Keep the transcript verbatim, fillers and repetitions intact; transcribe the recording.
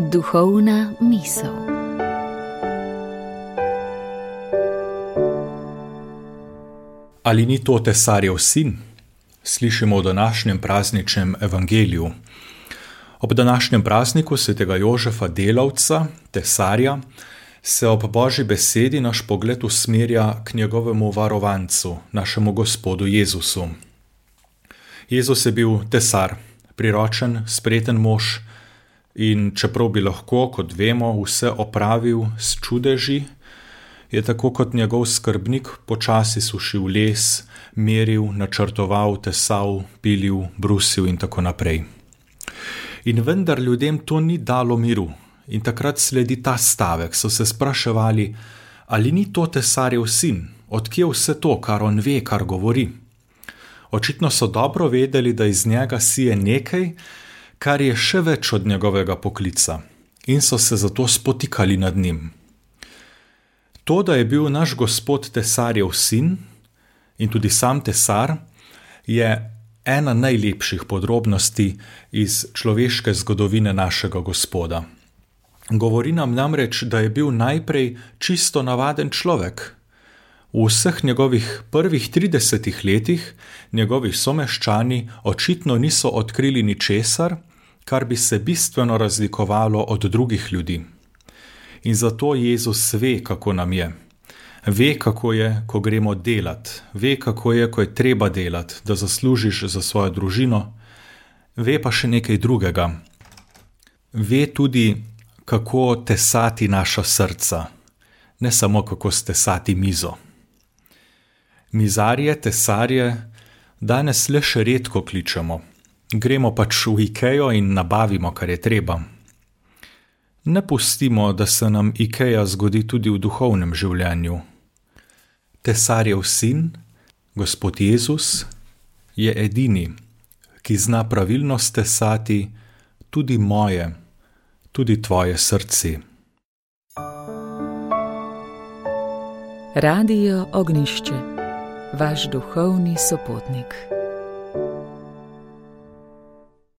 Duhovna misel. Ali ni to tesarjev sin? Slišimo v današnjem prazničnem evangeliju. Ob današnjem prazniku svetega Jožefa Delavca, tesarja, se ob Božji besedi naš pogled usmerja k njegovemu varovancu, našemu Gospodu Jezusu. Jezus je bil tesar, priročen, spreten mož in čeprav bi lahko, kot vemo, vse opravil s čudeži, je tako kot njegov skrbnik počasi sušil les, meril, načrtoval, tesal, pilil, brusil in tako naprej. In vendar ljudem to ni dalo miru in takrat sledi ta stavek, so se spraševali, ali ni to tesarjev sin, odkje vse to, kar on ve, kar govori. Očitno so dobro vedeli, da iz njega sije nekaj, kar je še več od njegovega poklica in so se zato spotikali nad njim. To, da je bil naš Gospod tesarjev sin in tudi sam tesar, je ena najlepših podrobnosti iz človeške zgodovine našega Gospoda. Govori nam namreč, da je bil najprej čisto navaden človek. V vseh njegovih prvih tridesetih letih njegovi someščani očitno niso odkrili ničesar, kar bi se bistveno razlikovalo od drugih ljudi. In zato Jezus ve, kako nam je. Ve, kako je, ko gremo delat. Ve, kako je, ko je treba delat, da zaslužiš za svojo družino. Ve pa še nekaj drugega. Ve tudi, kako tesati naša srca. Ne samo, kako stesati mizo. Mizarje, tesarje danes le še redko kličemo. Gremo pač v Ikejo in nabavimo, kar je treba. Ne pustimo, da se nam Ikeja zgodi tudi v duhovnem življenju. Tesarjev sin, Gospod Jezus, je edini, ki zna pravilno stesati tudi moje, tudi tvoje srce. Radio Ognjišče, vaš duhovni sopotnik.